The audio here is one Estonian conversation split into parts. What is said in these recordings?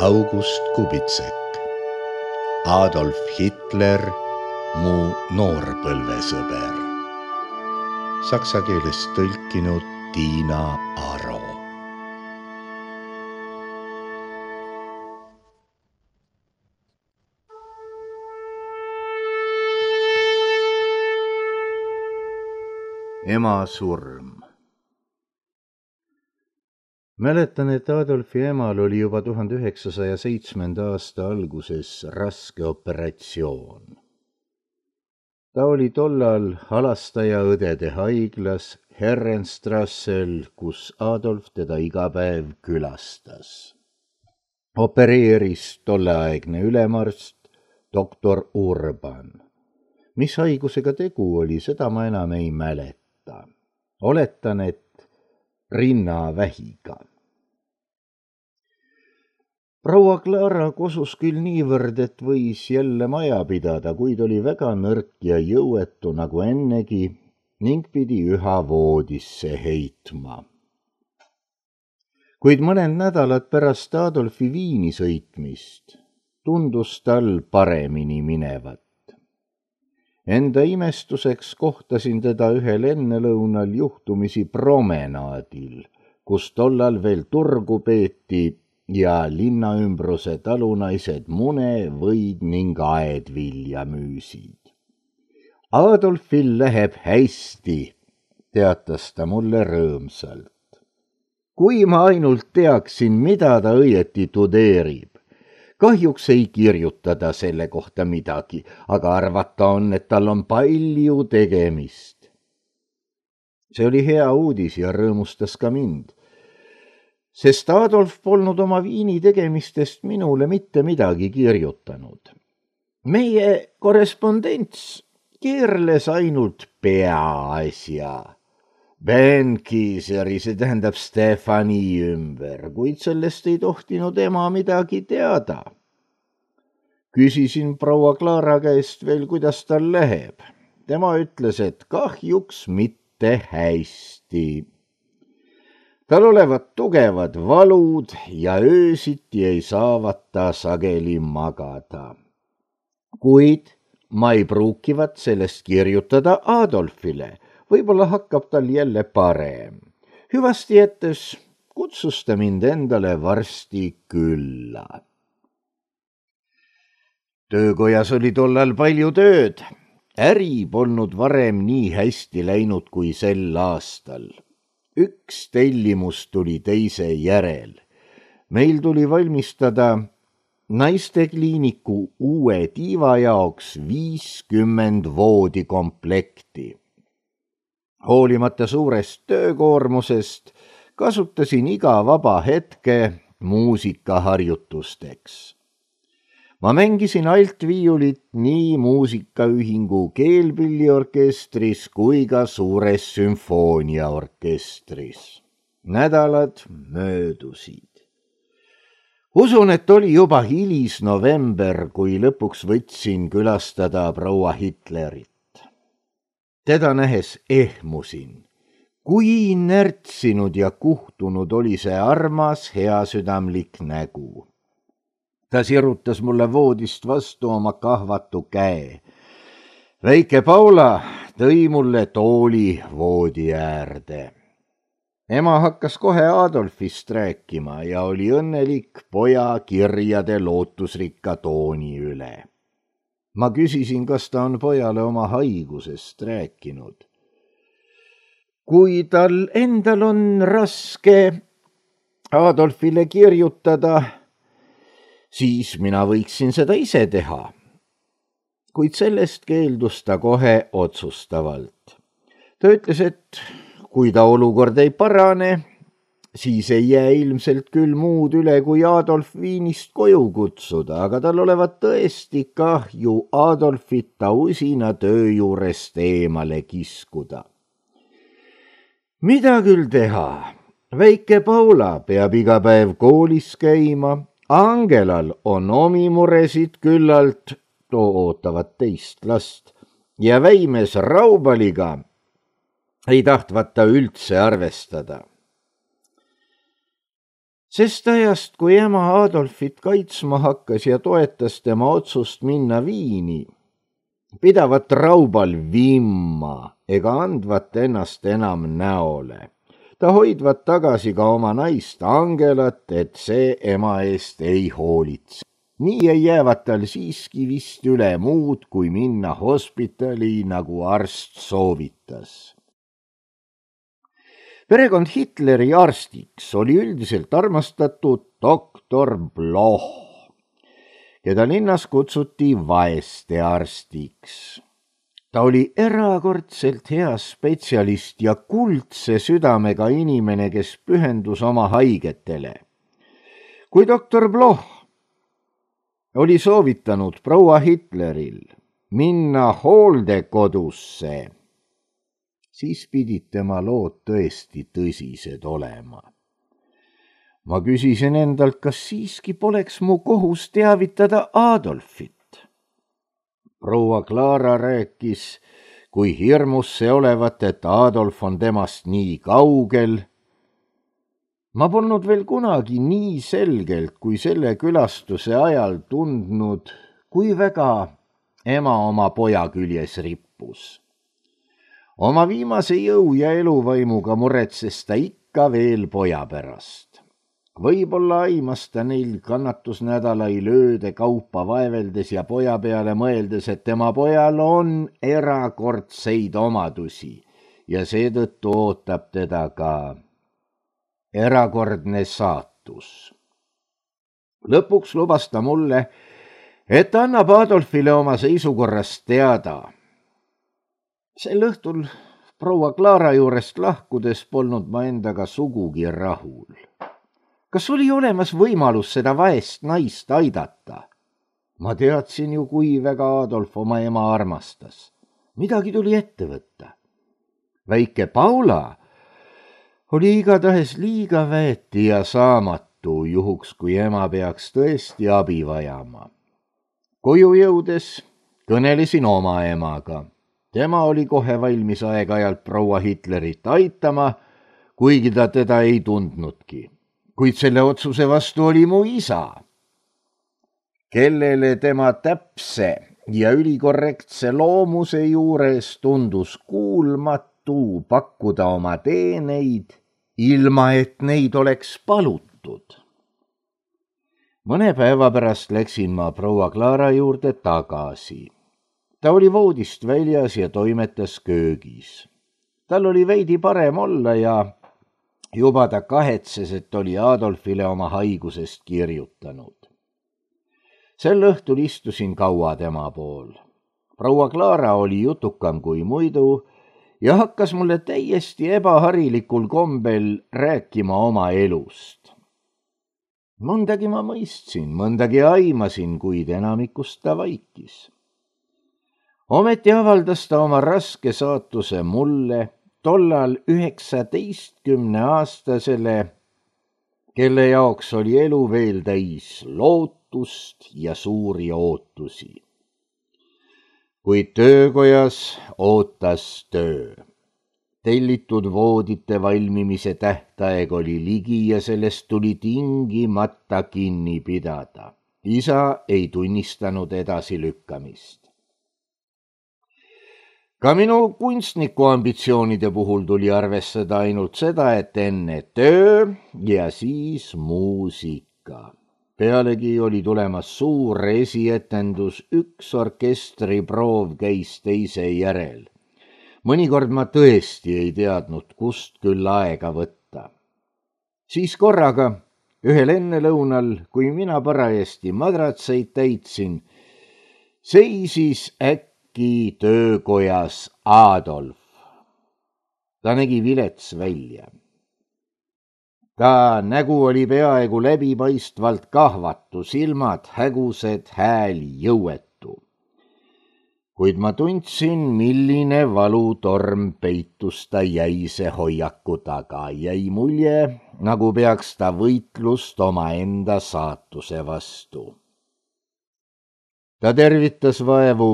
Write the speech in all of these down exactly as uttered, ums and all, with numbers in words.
August Kubitsek, Adolf Hitler, mu noorpõlvesõber. Saksa keelest tõlkinud Tiina Aro. Ema surm. Mäletan, et Adolfi emal oli juba tuhande üheksasaja seitsmenda aasta alguses raske operatsioon. Ta oli tollal halastajaõdede haiglas Herrenstrassel, kus Adolf teda iga päev külastas. Opereeris tolleaegne ülemarst doktor Urban. Mis haigusega tegu oli, seda ma enam ei mäleta. Oletan, et rinnavähiga. Proua Clara kosus küll niivõrd, et võis jälle maja pidada, kuid oli väga nõrk ja jõuetu nagu ennegi ning pidi üha voodisse heitma. Kuid mõned nädalad pärast Adolfi Viini sõitmist tundus tal paremini minevat. Enda imestuseks kohtasin teda ühel ennelõunal juhtumisi promenaadil, kus tollal veel turgu peeti ja linnaümbruse talunaised mune, võid ning aedvilja müüsid. Adolfil läheb hästi, teatas ta mulle rõõmsalt. Kui ma ainult teaksin, mida ta õieti tudeerib. Kahjuks ei kirjutada selle kohta midagi, aga arvata on, et tal on palju tegemist. See oli hea uudis ja rõõmustas ka mind. Sest Adolf polnud oma Viini tegemistest minule mitte midagi kirjutanud. Meie korrespondents keerles ainult peaasja. Benkiiseri, see tähendab Stefani ümber, kuid sellest ei tohtinud ema midagi teada. Küsisin proua Clara käest veel, kuidas tal läheb. Tema ütles, et kahjuks mitte hästi. Tal olevat tugevad valud ja öösiti ei saavat ta sageli magada. Kuid ma ei pruukivat sellest kirjutada Adolfile. Võib-olla hakkab tal jälle parem. Hüvasti jättes kutsus ta mind endale varsti külla. Töökojas oli tollal palju tööd. Äri polnud varem nii hästi läinud kui sel aastal. Üks tellimus tuli teise järel. Meil tuli valmistada naistekliiniku uue tiiva jaoks viiskümmend voodikomplekti. Hoolimata suurest töökoormusest kasutasin iga vaba hetke muusikaharjutusteks. Ma mängisin altviiulit nii muusikaühingu keelpilliorkestris kui ka suures sümfooniaorkestris. Nädalad möödusid. Usun, et oli juba hilis november, kui lõpuks võtsin külastada proua Hitlerit. Teda nähes ehmusin. Kui närtsinud ja kuhtunud oli see armas, heasüdamlik nägu. Ta sirutas mulle voodist vastu oma kahvatu käe. Väike Paula tõi mulle tooli voodi äärde. Ema hakkas kohe Adolfist rääkima ja oli õnnelik poja kirjade lootusrikka tooni üle. Ma küsisin, kas ta on pojale oma haigusest rääkinud. Kui tal endal on raske Adolfile kirjutada, siis mina võiksin seda ise teha. Kuid sellest keeldus ta kohe otsustavalt. Ta ütles, et kui ta olukord ei parane, siis ei jää ilmselt küll muud üle, kui Adolf Viinist koju kutsuda, aga tal olevat tõesti kahju Adolfit ta usina töö juurest eemale kiskuda. Mida küll teha? Väike Paula peab iga päev koolis käima, Angelal on omi muresid küllalt, too ootavad teist last, ja väimes Raubaliga ei tahtvat ta üldse arvestada. Sest ajast, kui ema Adolfit kaitsma hakkas ja toetas tema otsust minna Viini, pidavat Raubal vimma ega andvat ennast enam näole. Ta hoidvat tagasi ka oma naist Angelat, et see ema eest ei hoolitse. Nii ei jäävat tal siiski vist üle muud, kui minna hospitali, nagu arst soovitas. Perekond Hitleri arstiks oli üldiselt armastatud doktor Bloch, keda linnas kutsuti vaeste arstiks. Ta oli erakordselt hea spetsialist ja kuldse südamega inimene, kes pühendus oma haigetele. Kui doktor Bloch oli soovitanud proua Hitleril minna hooldekodusse, siis pidid tema lood tõesti tõsised olema. Ma küsisin endalt, kas siiski poleks mu kohus teavitada Adolfit. Proua Clara rääkis, kui hirmus see olevat, et Adolf on temast nii kaugel. Ma polnud veel kunagi nii selgelt kui selle külastuse ajal tundnud, kui väga ema oma poja küljes rippus. Oma viimase jõu ja eluvaimuga muretses ta ikka veel poja pärast. Võib-olla aimas ta neil kannatusnädalai lööde kaupa vaeveldes ja poja peale mõeldes, et tema pojal on erakordseid omadusi ja seetõttu ootab teda ka erakordne saatus. Lõpuks lubas ta mulle, et annab Adolfile oma seisukorrast teada. Sel õhtul proua Clara juurest lahkudes polnud ma endaga sugugi rahul. Kas oli olemas võimalus seda vaest naist aidata? Ma teadsin ju, kui väga Adolf oma ema armastas. Midagi tuli ette võtta. Väike Paula oli igatahes liiga väeti ja saamatu juhuks, kui ema peaks tõesti abi vajama. Koju jõudes kõnelesin oma emaga. Tema oli kohe valmis aeg-ajalt proua Hitlerit aitama, kuigi ta teda ei tundnudki. Kuid selle otsuse vastu oli mu isa, kellele tema täpse ja ülikorrektse loomuse juures tundus kuulmatu pakkuda oma teeneid, ilma et neid oleks palutud. Mõne päeva pärast läksin ma proua Clara juurde tagasi. Ta oli voodist väljas ja toimetas köögis. Tal oli veidi parem olla ja juba ta kahetses, et oli Adolfile oma haigusest kirjutanud. Sel õhtul istusin kaua tema pool. Proua Clara oli jutukam kui muidu ja hakkas mulle täiesti ebaharilikul kombel rääkima oma elust. Mõndagi ma mõistsin, mõndagi aimasin, kuid enamikust ta vaikis. Ometi avaldas ta oma raske saatuse mulle, tollal üheksateistkümne aastasele, kelle jaoks oli elu veel täis lootust ja suuri ootusi. Kuid töökojas ootas töö. Tellitud voodite valmimise tähtaeg oli ligi ja sellest tuli tingimata kinni pidada. Isa ei tunnistanud edasi lükkamist. Ka minu kunstniku ambitsioonide puhul tuli arvestada ainult seda, et enne töö ja siis muusika. Pealegi oli tulemas suur esietendus, üks orkestriproov käis teise järel. Mõnikord ma tõesti ei teadnud, kust küll aega võtta. Siis korraga, ühel ennelõunal, kui mina parajasti madratseid täitsin, seisis äkki töökojas Adolf. Ta nägi vilets välja. Ta nägu oli peaaegu läbipaistvalt kahvatu, silmad hägused, hääl jõuetu. Kuid ma tundsin, milline valutorm peitus ta jäise hoiaku taga. Jäi mulje, nagu peaks ta võitlust omaenda saatuse vastu. Ta tervitas vaevu,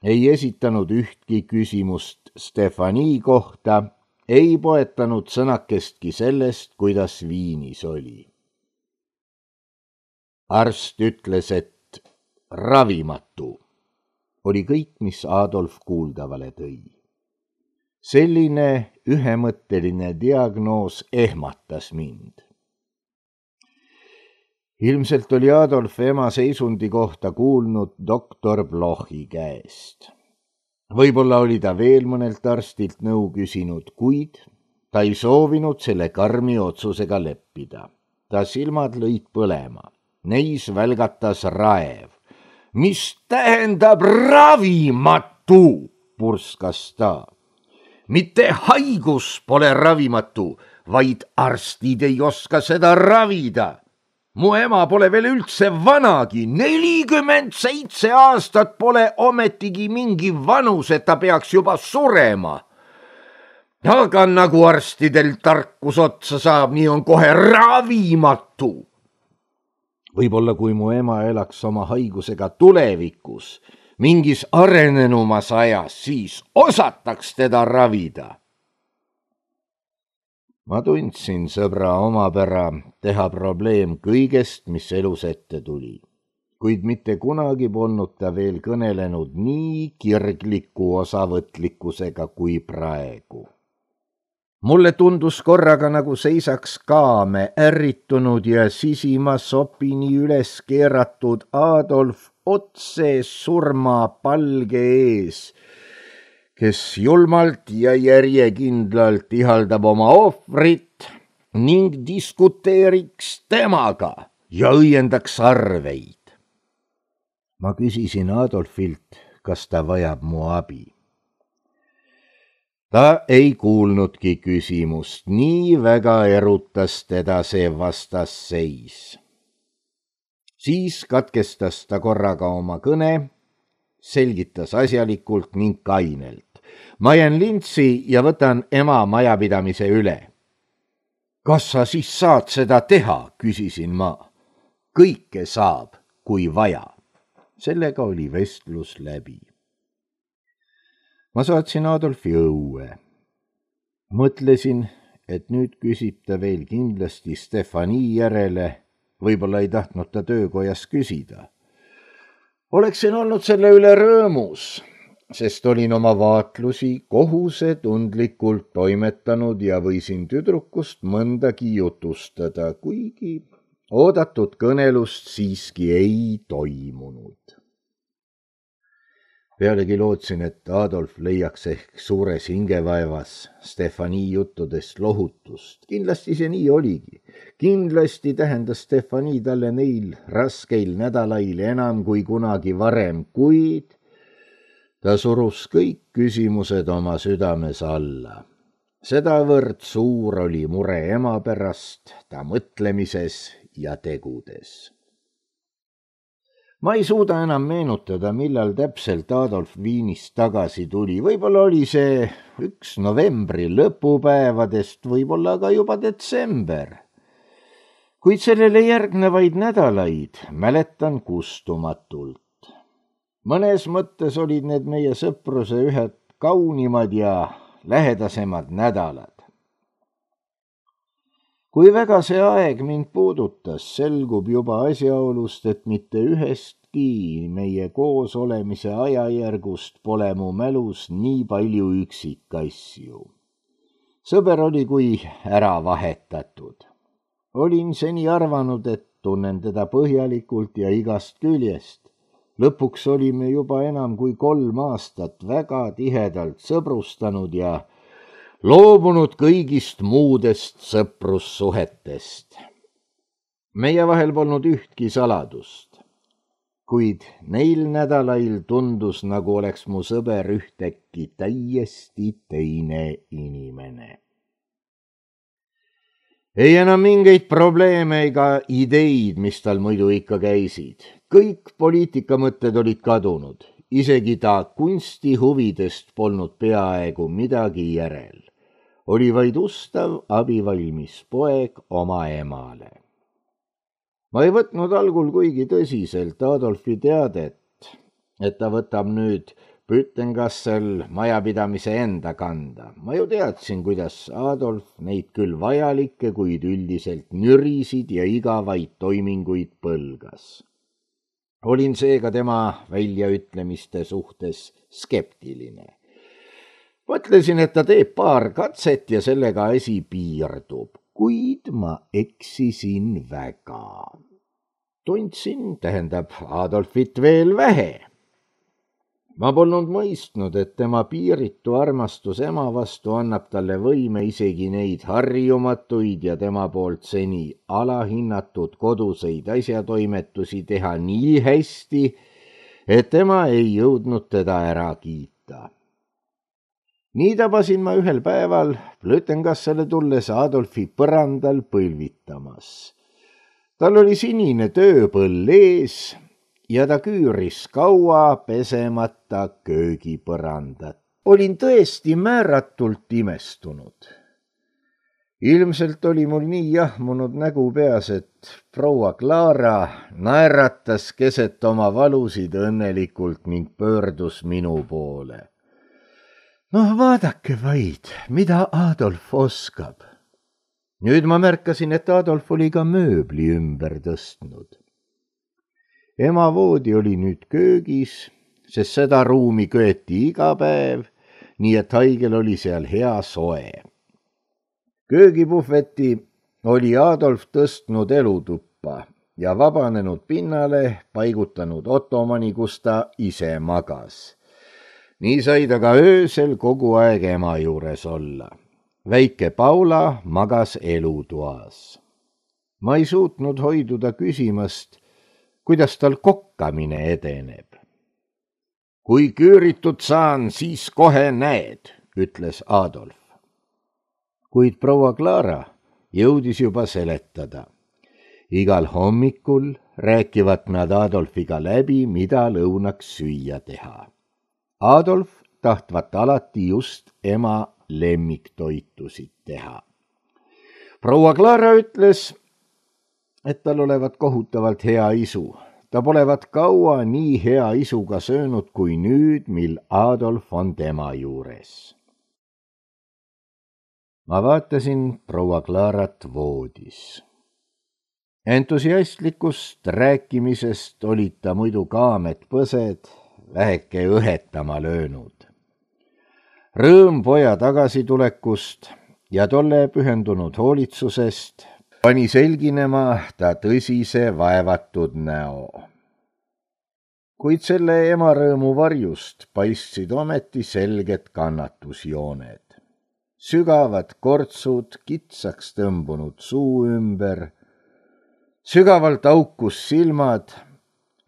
ei esitanud ühtki küsimust Stefani kohta, ei poetanud sõnakestki sellest, kuidas Viinis oli. arst ütles, et ravimatu, oli kõik, mis Adolf kuuldavale tõi. Selline ühemõtteline diagnoos ehmatas mind. Ilmselt oli Adolf ema seisundi kohta kuulnud doktor Blochi käest. Võib-olla oli ta veel mõnelt arstilt nõu küsinud, kuid ta ei soovinud selle karmi otsusega leppida. Ta silmad lõid põlema. Neis välgatas raev. Mis tähendab ravimatu, purskas ta. Mitte haigus pole ravimatu, vaid arstid ei oska seda ravida. Mu ema pole veel üldse vanagi, nelikümmend seitse aastat pole ometigi mingi vanus, et ta peaks juba surema. Aga nagu arstidel tarkus otsa saab, nii on kohe ravimatu. Võib-olla kui mu ema elaks oma haigusega tulevikus, mingis arenenumas ajas, siis osataks teda ravida. Ma tundsin sõbra omapära teha probleem kõigest, mis elus ette tuli, kuid mitte kunagi polnud ta veel kõnelenud nii kirgliku osavõtlikkusega kui praegu. Mulle tundus korraga, nagu seisaks kaame ärritunud ja sisima sopini üles keeratud Adolf otse surma palge ees, kes julmalt ja järjekindlalt ihaldab oma ohvrit ning diskuteeriks temaga ja õiendaks arveid. Ma küsisin Adolfilt, kas ta vajab mu abi. Ta ei kuulnudki küsimust, nii väga erutas teda see vastasseis. Siis katkestas ta korraga oma kõne, selgitas asjalikult ning kainelt. Ma jään lintsi ja võtan ema majapidamise üle. Kas sa siis saad seda teha, küsisin ma. Kõike saab, kui vaja. Sellega oli vestlus läbi. Ma saatsin Adolfi õue. Mõtlesin, et nüüd küsib ta veel kindlasti Stefani järele, võib-olla ei tahtnud ta töökojas küsida. Oleksin olnud selle üle rõõmus, sest olin oma vaatlusi kohusetundlikult toimetanud ja võisin tüdrukust mõndagi jutustada, kuigi oodatud kõnelust siiski ei toimunud. Pealegi lootsin, et Adolf leiaks ehk suures hingevaevas Stefani juttudest lohutust. Kindlasti see nii oligi. Kindlasti tähendas Stefani talle neil raskeil nädalail enam kui kunagi varem, kuid ta surus kõik küsimused oma südames alla. Sedavõrd suur oli mure ema pärast ta mõtlemises ja tegudes. Ma ei suuda enam meenutada, millal täpselt Adolf Viinist tagasi tuli. Võib-olla oli see üks novembri lõpupäevadest, võib-olla ka juba detsember. Kuid sellele järgnevaid nädalaid mäletan kustumatult. Mõnes mõttes olid need meie sõpruse ühed kaunimad ja lähedasemad nädalad. Kui väga see aeg mind puudutas, selgub juba asjaolust, et mitte ühestki meie koos olemise ajajärgust pole mu mälus nii palju üksikasju. Sõber oli kui ära vahetatud. Olin seni arvanud, et tunnen teda põhjalikult ja igast küljest. Lõpuks olime juba enam kui kolm aastat väga tihedalt sõbrustanud ja loobunud kõigist muudest sõprussuhetest. Meie vahel polnud ühtki saladust, kuid neil nädalail tundus, nagu oleks mu sõber ühtäkki täiesti teine inimene. Ei enam mingeid probleeme ega ideid, mis tal muidu ikka käisid. Kõik poliitikamõtted olid kadunud, isegi ta kunstihuvidest polnud peaaegu midagi järel. Oli vaid ustav abivalmis poeg oma emale. Ma ei võtnud algul kuigi tõsiselt Adolfi teadet, et ta võtab nüüd Pütengassel majapidamise enda kanda. Ma ju teadsin, kuidas Adolf neid küll vajalikke, kuid üldiselt nürisid ja igavaid toiminguid põlgas. Olin seega tema väljaütlemiste suhtes skeptiline. Mõtlesin, et ta teeb paar katset ja sellega asi piirdub, kuid ma eksisin väga. Tundsin, tähendab Adolfit veel vähe. Ma polnud mõistnud, et tema piiritu armastus ema vastu annab talle võime isegi neid harjumatuid ja tema poolt seni alahinnatud koduseid asjatoimetusi teha nii hästi, et tema ei jõudnud teda ära kiita. Nii tabasin ma ühel päeval Plötengassele tulles Adolfi põrandal põlvitamas. Tal oli sinine tööpõll ees ja ta küüris kaua pesemata köögipõrandat. Olin tõesti määratult imestunud. Ilmselt oli mul nii jahmunud nägu peas, et proua Clara naeratas keset oma valusid õnnelikult ning pöördus minu poole. Noh, vaadake vaid, mida Adolf oskab. Nüüd ma märkasin, et Adolf oli ka mööbli ümber tõstnud. Ema voodi oli nüüd köögis, sest seda ruumi köeti iga päev, nii et haigel oli seal hea soe. Köögipuhveti oli Adolf tõstnud elutuppa ja vabanenud pinnale paigutanud ottomani, kus ta ise magas. Nii sai ta ka öösel kogu aeg ema juures olla. Väike Paula magas elutoas. Ma ei suutnud hoiduda küsimast, kuidas tal kokkamine edeneb. Kui küüritud saan, siis kohe näed, ütles Adolf. Kuid proua Clara jõudis juba seletada. Igal hommikul rääkivad nad Adolfiga läbi, mida lõunaks süüa teha. Adolf tahtvat alati just ema lemmiktoitusid teha. Proua Clara ütles, et tal olevat kohutavalt hea isu. Ta polevat kaua nii hea isuga söönud kui nüüd, mil Adolf on tema juures. Ma vaatasin proua Clarat voodis. Entusiastlikust rääkimisest olid ta muidu kaamed põsed väheke õhetama löönud. Rõõm poja tagasitulekust ja tolle pühendunud hoolitsusest pani selginema ta tõsise vaevatud näo. Kuid selle ema rõõmu varjust paistsid ometi selged kannatusjooned. Sügavad kortsud kitsaks tõmbunud suu ümber, sügavalt aukus silmad,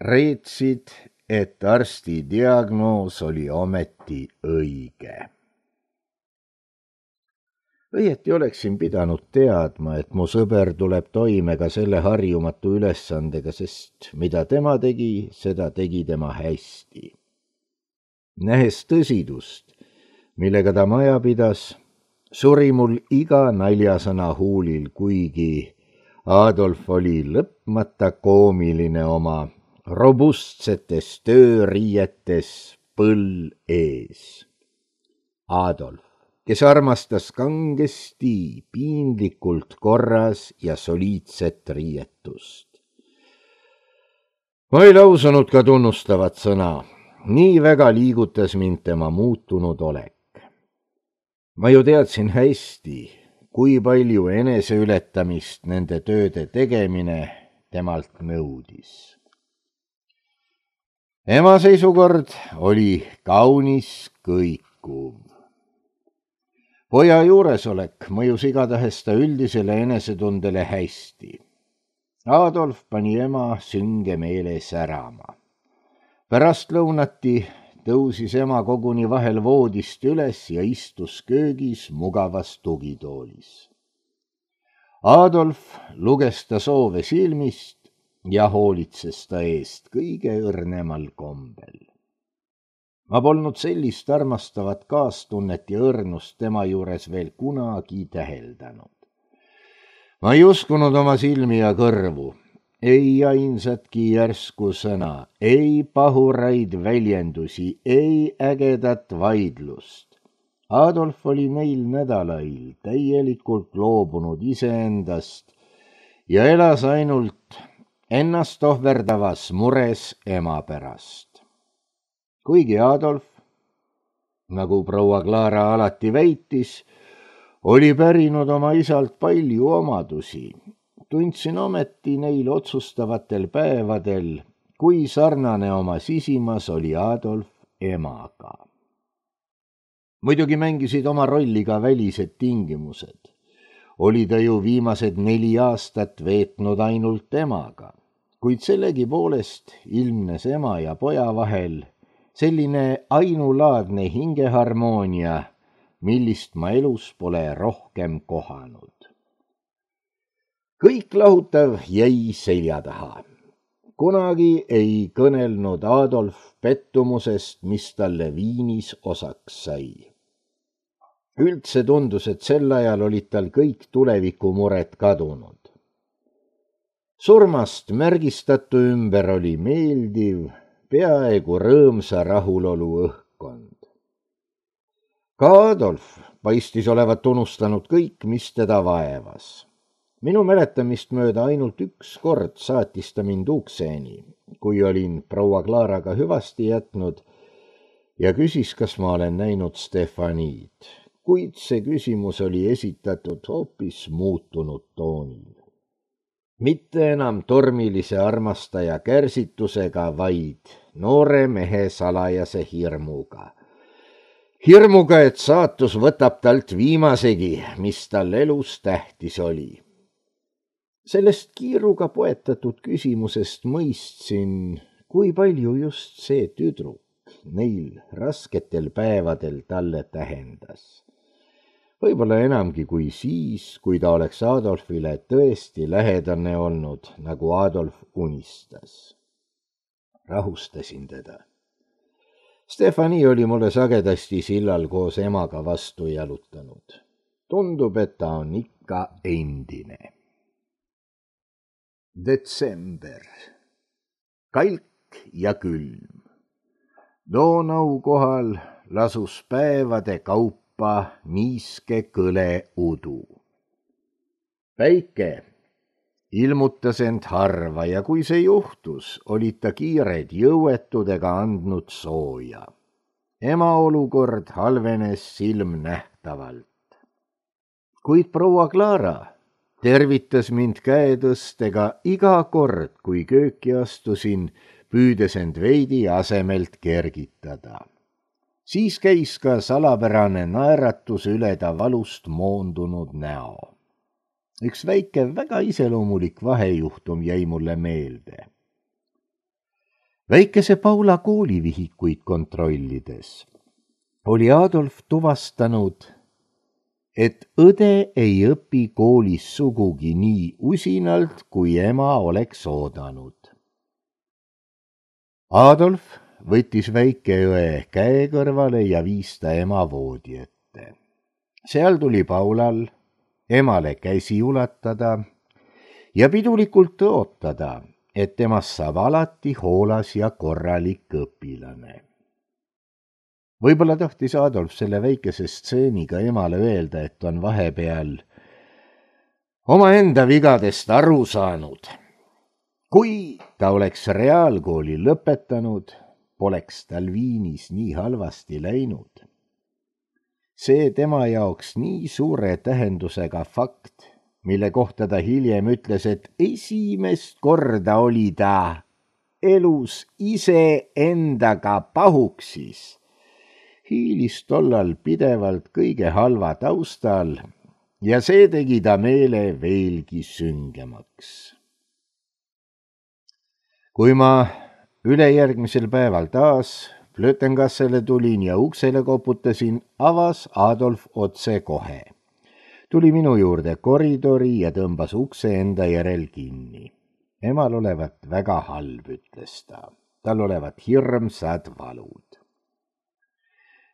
reetsid, et arsti diagnoos oli ometi õige. Õieti oleksin pidanud teadma, et mu sõber tuleb toime ka selle harjumatu ülesandega, sest mida tema tegi, seda tegi tema hästi. Nähes tõsidust, millega ta maja pidas, suri mul iga naljasõna huulil, kuigi Adolf oli lõpmata koomiline oma robustsetes tööriietes põll ees. Adolf, kes armastas kangesti, piinlikult korras ja soliidset riietust. Ma ei lausunud ka tunnustavat sõna, nii väga liigutas mind tema muutunud olek. Ma ju teadsin hästi, kui palju eneseületamist nende tööde tegemine temalt nõudis. Ema seisukord oli kaunis kõikuv. Poja juuresolek mõjus igatahes ta üldisele enesetundele hästi. Adolf pani ema sünge meele särama. Pärast lõunati tõusis ema koguni vahel voodist üles ja istus köögis mugavas tugitoolis. Adolf luges ta soove silmist ja hoolitses ta eest kõige õrnemal kombel. Ma polnud sellist armastavat kaastunnet ja õrnust tema juures veel kunagi täheldanud. Ma ei uskunud oma silmi ja kõrvu. ei ainsatki järsku sõna, ei pahuraid väljendusi, ei ägedat vaidlust. Adolf oli neil nädalail täielikult loobunud iseendast ja elas ainult ennast ohverdavas mures ema pärast. Kuigi Adolf, nagu proua Clara alati väitis, oli pärinud oma isalt palju omadusi, tundsin ometi neil otsustavatel päevadel, kui sarnane oma sisimas oli Adolf emaga. Muidugi mängisid oma rolli ka välised tingimused. Oli ta ju viimased neli aastat veetnud ainult emaga, kuid sellegi poolest ilmnes ema ja poja vahel selline ainulaadne hingeharmoonia, millist ma elus pole rohkem kohanud. Kõik lahutav jäi selja taha. Kunagi ei kõnelnud Adolf pettumusest, mis talle Viinis osaks sai. Üldse tundus, et sel ajal olid tal kõik tulevikumured kadunud. Surmast märgistatu ümber oli meeldiv, peaaegu rõõmsa rahulolu õhkkond. Ka Adolf paistis olevat unustanud kõik, mis teda vaevas. Minu mäletamist mööda ainult üks kord saatis ta mind ukseeni, kui olin proua Claraga hüvasti jätnud ja küsis, kas ma olen näinud Stefaniid, kuid see küsimus oli esitatud hoopis muutunud toonil. Mitte enam tormilise armastaja kärsitusega, vaid noore mehe salajase hirmuga. Hirmuga, et saatus võtab talt viimasegi, mis tal elus tähtis oli. Sellest kiiruga poetatud küsimusest mõistsin, kui palju just see tüdruk neil rasketel päevadel talle tähendas. Võib-olla enamgi kui siis, kui ta oleks Adolfile tõesti lähedane olnud, nagu Adolf unistas. Rahustasin teda. Stefani oli mulle sagedasti sillal koos emaga vastu jalutanud. Tundub, et ta on ikka endine. Detsember. Kalk ja külm. Donau kohal lasus päevade kaupa niiske kõle udu. Päike ilmutas end harva ja kui see juhtus, olid ta kiired jõuetudega andnud sooja. Ema olukord halvenes silmnähtavalt. Kuid proua Clara tervitas mind käetõstega iga kord, kui kööki astusin, püüdes end veidi asemelt kergitada. Siis käis ka salapärane naeratus üle ta valust moondunud näo. Üks väike, väga iseloomulik vahejuhtum jäi mulle meelde. Väikese Paula koolivihikuid kontrollides oli Adolf tuvastanud, et õde ei õpi koolis sugugi nii usinalt, kui ema oleks oodanud. Adolf võttis väikeõe käe kõrvale ja viis ta ema voodi ette. Seal tuli Paulal emale käsi ulatada ja pidulikult tõotada, et temast saab alati hoolas ja korralik õpilane. Võib-olla tahtis Adolf selle väikese stseeniga emale öelda, et on vahepeal omaenda vigadest aru saanud. Kui ta oleks reaalkooli lõpetanud, poleks tal Viinis nii halvasti läinud. See tema jaoks nii suure tähendusega fakt, mille kohta ta hiljem ütles, et esimest korda oli ta elus ise endaga pahuksis, hiilis tollal pidevalt kõige halva taustal ja see tegi ta meele veelgi süngemaks. Kui ma ülejärgmisel päeval taas Flötengassele tulin ja uksele koputasin, avas Adolf otse kohe. Tuli minu juurde koridori ja tõmbas ukse enda järel kinni. Emal olevat väga halb, ütles ta. Tal olevat hirmsad valud.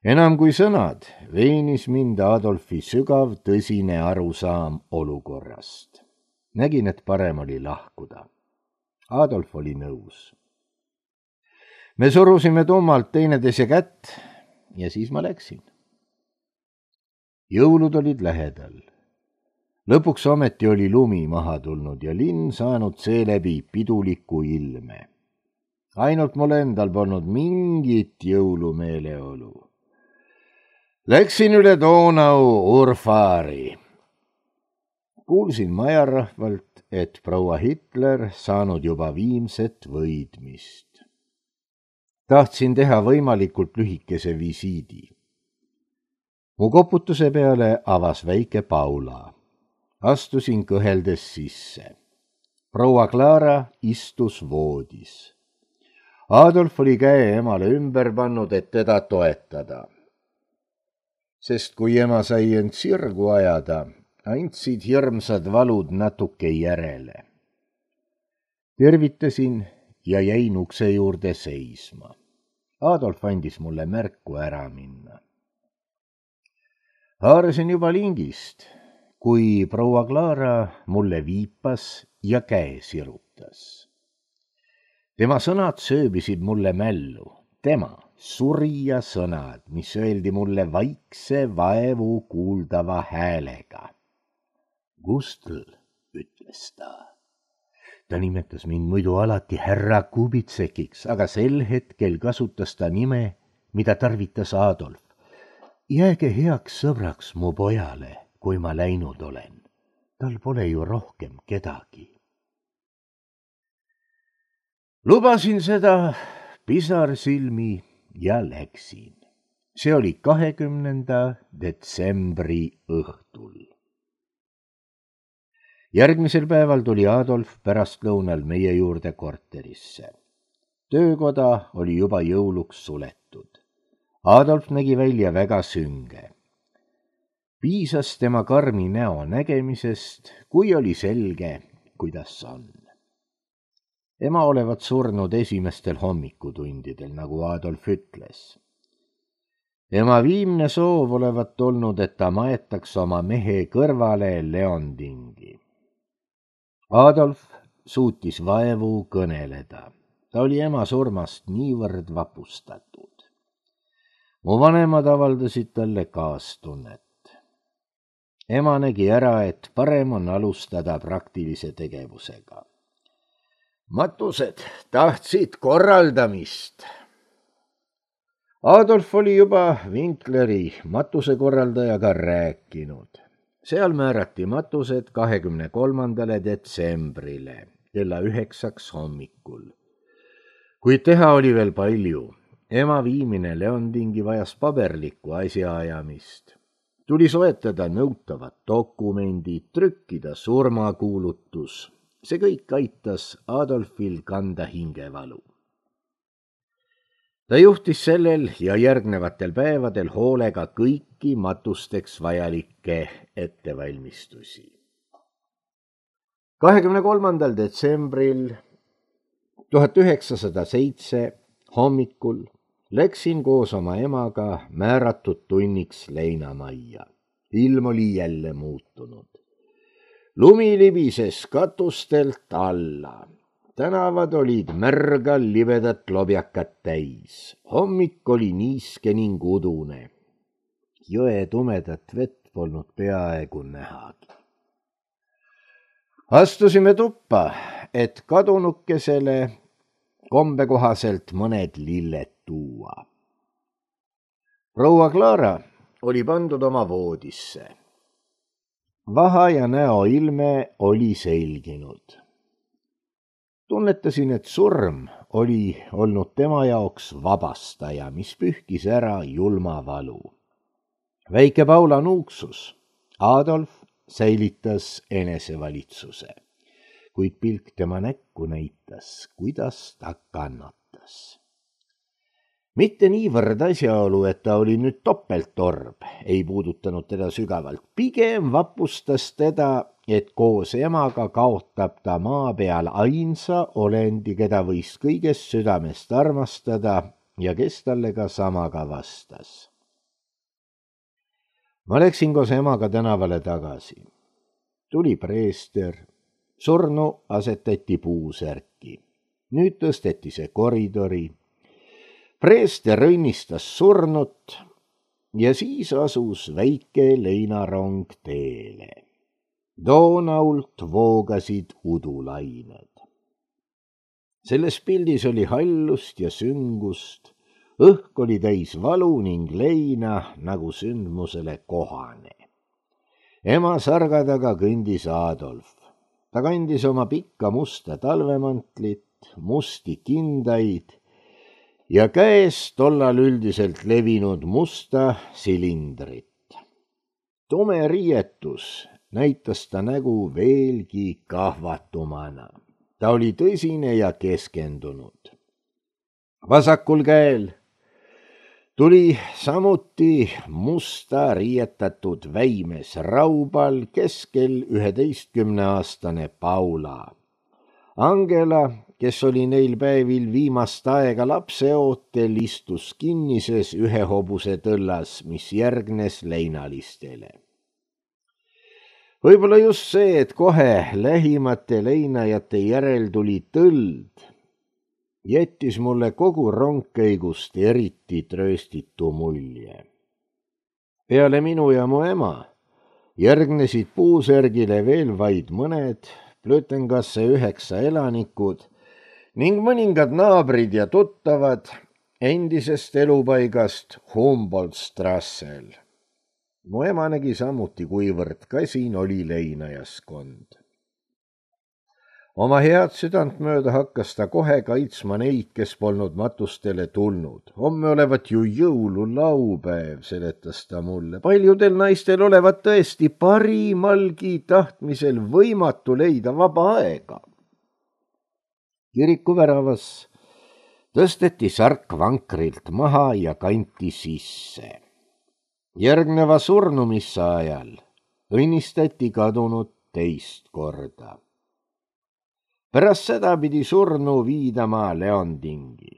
Enam kui sõnad veenis mind Adolfi sügav tõsine arusaam olukorrast. Nägin, et parem oli lahkuda. Adolf oli nõus. Me surusime tummalt teineteise kätt ja siis ma läksin. Jõulud olid lähedal. Lõpuks ometi oli lumi maha tulnud ja linn saanud seeläbi piduliku ilme. Ainult mul endal polnud mingit jõulumeeleolu. Läksin üle Donau Urfaari. Kuulsin majarahvalt, et proua Hitler saanud juba viimset võidmist. Tahtsin teha võimalikult lühikese visiidi. Mu koputuse peale avas väike Paula. Astusin kõheldes sisse. Proua Clara istus voodis. Adolf oli käe emale ümber pannud, et teda toetada. Sest kui ema sai end sirgu ajada, andsid hirmsad valud natuke järele. Tervitasin ja jäin ukse juurde seisma. Adolf andis mulle märku ära minna. Haarasin juba lingist, kui proua Clara mulle viipas ja käe sirutas. Tema sõnad sööbisid mulle mällu, tema surija sõnad, mis öeldi mulle vaikse vaevu kuuldava häälega. Gustl, ütles ta. Ta nimetas mind muidu alati härra Kubitsekiks, aga sel hetkel kasutas ta nime, mida tarvitas Adolf. Jääge heaks sõbraks mu pojale, kui ma läinud olen. Tal pole ju rohkem kedagi. Lubasin seda pisarsilmi ja läksin. See oli kahekümnenda detsembri õhtul. Järgmisel päeval tuli Adolf pärastlõunal meie juurde korterisse. Töökoda oli juba jõuluks suletud. Adolf nägi välja väga sünge. Piisas tema karmi näo nägemisest, kui oli selge, kuidas on. Ema olevat surnud esimestel hommikutundidel, nagu Adolf ütles. Ema viimne soov olevat olnud, et ta maetaks oma mehe kõrvale Leondingi. Adolf suutis vaevu kõneleda. Ta oli ema surmast niivõrd vapustatud. Mu vanemad avaldasid talle kaastunnet. Ema nägi ära, et parem on alustada praktilise tegevusega. Matused tahtsid korraldamist. Adolf oli juba Winkleri matusekorraldajaga rääkinud. Seal määrati matused kahekümne kolmandale detsembrile kella üheksaks hommikul. Kuid teha oli veel palju. Ema viimine Leondingi vajas paberlikku asjaajamist. Tuli soetada nõutavad dokumendid, trükkida surmakuulutus. See kõik aitas Adolfil kanda hingevalu. Ta juhtis sellel ja järgnevatel päevadel hoolega kõiki matusteks vajalikke ettevalmistusi. kahekümne kolmandal detsembril tuhat üheksasada seitse hommikul läksin koos oma emaga määratud tunniks leinamajja. Ilm oli jälle muutunud. Lumi libises katustelt alla. Tänavad olid märgal livedat lobjakat täis. Hommik oli niiske ning udune. Jõe tumedat vett polnud peaaegu nähagi. Astusime tuppa, et kadunukesele kombekohaselt mõned lilled tuua. Proua Clara oli pandud oma voodisse. Vaha ja näo ilme oli selginud. Tunnetasin, et surm oli olnud tema jaoks vabastaja, mis pühkis ära julma valu. Väike Paula nuuksus. Adolf säilitas enesevalitsuse, kuid pilk tema näkku näitas, kuidas ta kannatas. Mitte niivõrd asjaolu, et ta oli nüüd topeltorb, ei puudutanud teda sügavalt. Pigem vapustas teda, et koos emaga kaotab ta maa peal ainsa olendi, keda võis kõigest südamest armastada ja kes talle ka samaga vastas. Ma läksin koos emaga tänavale tagasi. Tuli preester, surnu asetati puusärki. nüüd tõsteti see koridori. Preester õnnistas surnut ja siis asus väike leinarong teele. Doonault voogasid udulained. Selles pildis oli hallust ja süngust, õhk oli täis valu ning leina nagu sündmusele kohane. Ema sarga taga kõndis Adolf. Ta kandis oma pikka musta talvemantlit, musti kindaid ja käes tollal üldiselt levinud musta silindrit. Tume riietus näitas ta nägu veelgi kahvatumana. Ta oli tõsine ja keskendunud. Vasakul käel tuli samuti musta riietatud väimes raubal keskel üheteistkümneaastane Paula. Angela, kes oli neil päevil viimast aega lapseootel, istus kinnises ühe hobuse tõllas, mis järgnes leinalistele. Võib-olla just see, et kohe lähimate leinajate järel tuli tõld, jättis mulle kogu rongkäigust eriti trööstitu mulje. Peale minu ja mu ema järgnesid puusärgile veel vaid mõned Plötengasse üheksa elanikud ning mõningad naabrid ja tuttavad endisest elupaigast Humboldt-Strassel. Mu ema nägi samuti, kuivõrd kasin oli leinajaskond. Oma head südant mööda hakkas ta kohe kaitsma neid, kes polnud matustele tulnud. Homme olevat ju jõululaupäev, seletas ta mulle. Paljudel naistel olevat tõesti parimalgi tahtmisel võimatu leida vaba aega. Kiriku väravas tõsteti sark vankrilt maha ja kanti sisse. Järgneva surnumissa ajal õnnistati kadunut teist korda. Pärast seda pidi surnu viidama Leondingi.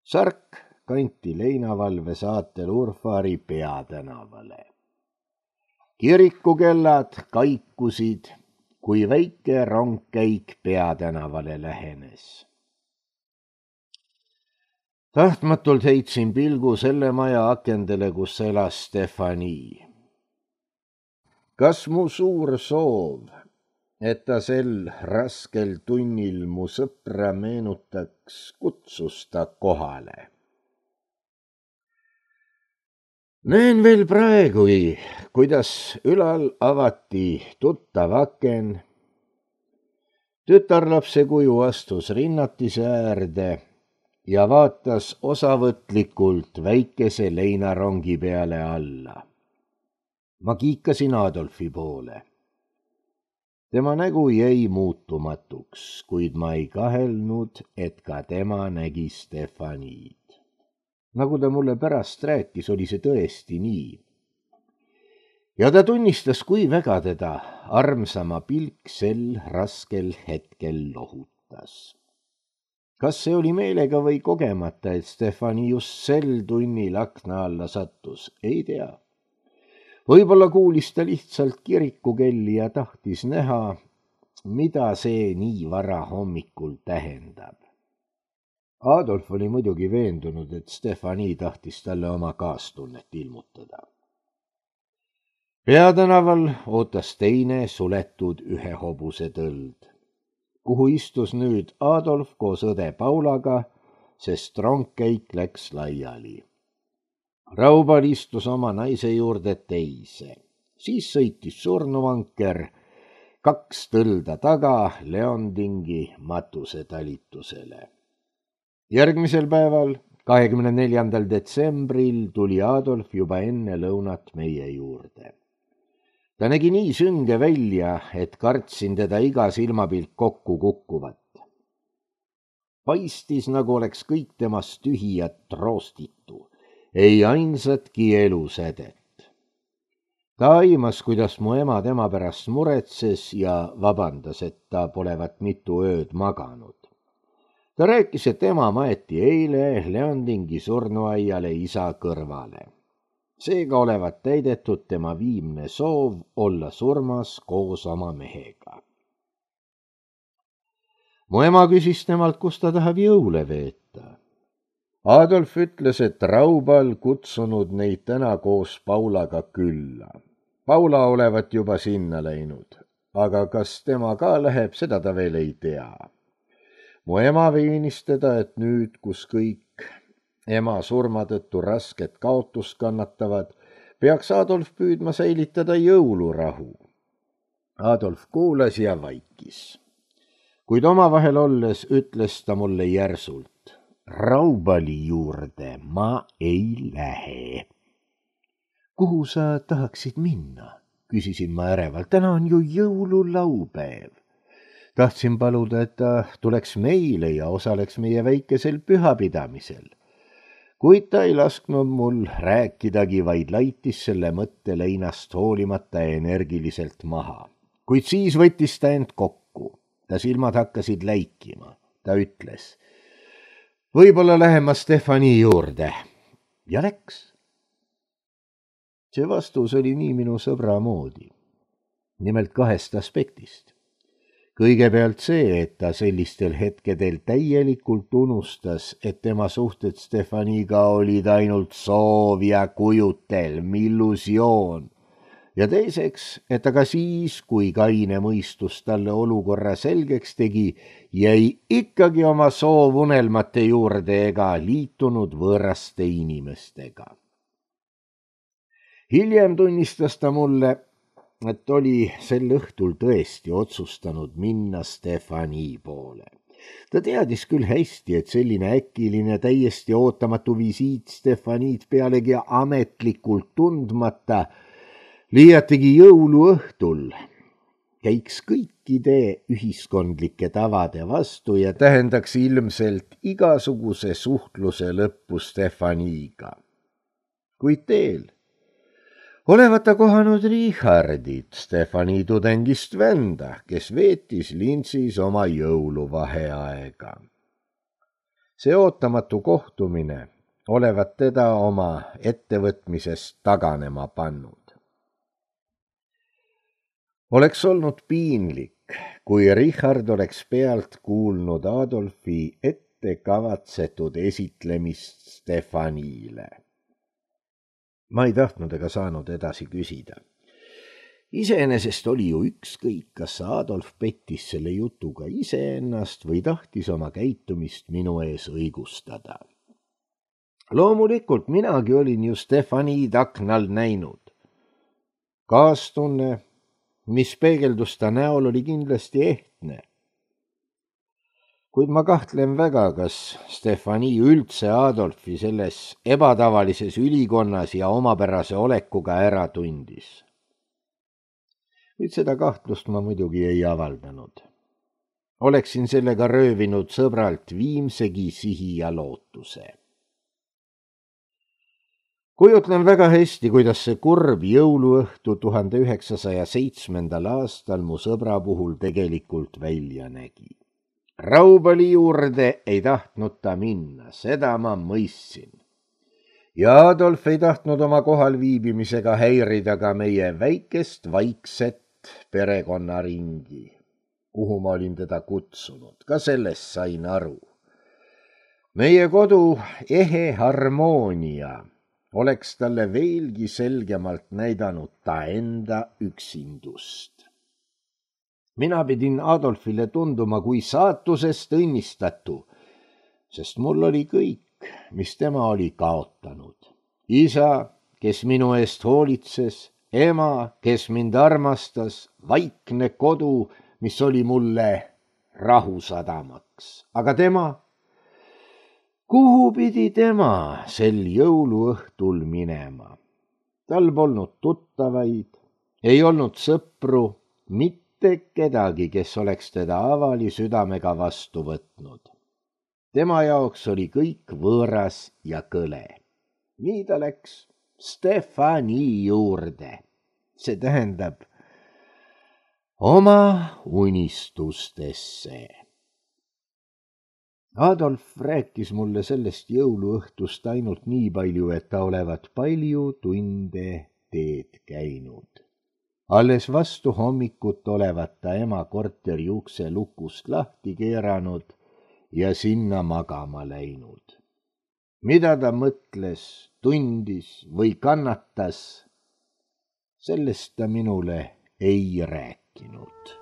Sark kanti leinavalve saatel Urfaari peatänavale. Kirikukellad kaikusid, kui väike rongkäik peatänavale lähenes. Tahtmatult heitsin pilgu selle maja akendele, kus elas Stefani. Kas mu suur soov, et ta sel raskel tunnil mu sõpra meenutaks, kutsus ta kohale? Näen veel praegugi, kuidas ülal avati tuttav aken. Tütarlapse kuju astus rinnatise äärde ja vaatas osavõtlikult väikese leinarongi peale alla. Ma kiikasin Adolfi poole. Tema nägu jäi muutumatuks, kuid ma ei kahelnud, et ka tema nägi Stefaniid. Nagu ta mulle pärast rääkis, oli see tõesti nii. Ja ta tunnistas, kui väga teda armsama pilk sel raskel hetkel lohutas. Kas see oli meelega või kogemata, et Stefani just sel tunnil akna alla sattus, ei tea. Võib-olla kuulis ta lihtsalt kirikukelli ja tahtis näha, mida see nii vara hommikul tähendab. Adolf oli muidugi veendunud, et Stefani tahtis talle oma kaastunnet ilmutada. Peatänaval ootas teine suletud ühe hobuse tõld, kuhu istus nüüd Adolf koos õde Paulaga, sest rongkäik läks laiali. Raubal istus oma naise juurde teise, siis sõitis surnuvanker kaks tõlda taga Leondingi matusetalitusele. Järgmisel päeval, kahekümne neljandal detsembril, tuli Adolf juba enne lõunat meie juurde. Ta nägi nii sünge välja, et kartsin teda iga silmapilt kokku kukkuvat. Paistis, nagu oleks kõik temast tühi ja troostitu, ei ainsatki elusädet. Ta aimas, kuidas mu ema tema pärast muretses ja vabandas, et ta polevat mitu ööd maganud. Ta rääkis, et ema maeti eile Leondingi surnuaiale isa kõrvale. Seega olevat täidetud tema viimne soov olla surmas koos oma mehega. mu ema küsis temalt, kus ta tahab jõule veeta. Adolf ütles, et Raubal kutsunud neid täna koos Paulaga külla. Paula olevat juba sinna läinud, aga kas tema ka läheb, seda ta veel ei tea. Mu ema veenis teda, et nüüd, kus kõik ema surma tõttu rasket kaotust kannatavad, peaks Adolf püüdma säilitada jõulurahu. Adolf kuulas ja vaikis. Kuid omavahel olles ütles ta mulle järsult, Raubali juurde ma ei lähe. Kuhu sa tahaksid minna? Küsisin ma ärevalt. Täna on ju jõululaupäev. Tahtsin paluda, et ta tuleks meile ja osaleks meie väikesel pühapidamisel. Kuid ta ei lasknud mul rääkidagi, vaid laitis selle mõtte leinast hoolimata energiliselt maha. Kuid siis võttis ta end kokku. Ta silmad hakkasid läikima. Ta ütles, võib-olla lähen ma Stefani juurde. Ja läks. See vastus oli nii minu sõbra moodi. Nimelt kahest aspektist. Kõigepealt see, et ta sellistel hetkedel täielikult unustas, et tema suhted Stefaniga olid ainult soov ja kujutelm, illusioon. Ja teiseks, et aga siis, kui kaine mõistus talle olukorra selgeks tegi, jäi ikkagi oma soovunelmate juurde ega liitunud võõraste inimestega. Hiljem tunnistas ta mulle, et oli sel õhtul tõesti otsustanud minna Stefani poole. Ta teadis küll hästi, et selline äkiline täiesti ootamatu visiit Stefaniid pealegi ametlikult tundmata liiatigi jõuluõhtul käiks kõikide ühiskondlike tavade vastu ja tähendaks ilmselt igasuguse suhtluse lõppu Stefaniga. Kuid teel olevat ta kohanud Richardit, Stefani tudengist venda, kes veetis Linzis oma jõuluvaheaega. See ootamatu kohtumine olevat teda oma ettevõtmisest taganema pannud. Oleks olnud piinlik, kui Richard oleks pealt kuulnud Adolfi ettekavatsetud esitlemist Stefanile. Ma ei tahtnud ega saanud edasi küsida. Iseenesest oli ju ükskõik, kas Adolf pettis selle jutuga iseennast või tahtis oma käitumist minu ees õigustada. Loomulikult minagi olin ju Stefaniid aknal näinud. Kaastunne, mis peegeldus ta näol, oli kindlasti ehtne. Kuid ma kahtlen väga, kas Stefani üldse Adolfi selles ebatavalises ülikonnas ja omapärase olekuga ära tundis. Kuid seda kahtlust ma muidugi ei avaldanud. Oleksin sellega röövinud sõbralt viimsegi sihi ja lootuse. Kujutlen väga hästi, kuidas see kurb jõuluõhtu tuhande üheksasaja seitsmendal aastal mu sõbra puhul tegelikult välja nägi. Raubali juurde ei tahtnud ta minna, seda ma mõistsin. Ja Adolf ei tahtnud oma kohal viibimisega häirida ka meie väikest vaikset perekonnaringi, kuhu ma olin teda kutsunud, ka sellest sain aru. Meie kodu ehe harmoonia oleks talle veelgi selgemalt näidanud ta enda üksindust. Mina pidin Adolfile tunduma kui saatusest õnnistatu, sest mul oli kõik, mis tema oli kaotanud. Isa, kes minu eest hoolitses, ema, kes mind armastas, vaikne kodu, mis oli mulle rahusadamaks. Aga tema, kuhu pidi tema sel jõuluõhtul minema? Tal polnud tuttavaid, ei olnud sõpru, mitte kedagi, kes oleks teda avali südamega vastu võtnud. Tema jaoks oli kõik võõras ja kõle. Nii ta läks Stefani juurde. See tähendab oma unistustesse. Adolf rääkis mulle sellest jõuluõhtust ainult nii palju, et ta olevat palju tunde teed käinud. alles vastu hommikut olevat ta ema korteri ukse lukust lahti keeranud ja sinna magama läinud. Mida ta mõtles, tundis või kannatas, sellest ta minule ei rääkinud.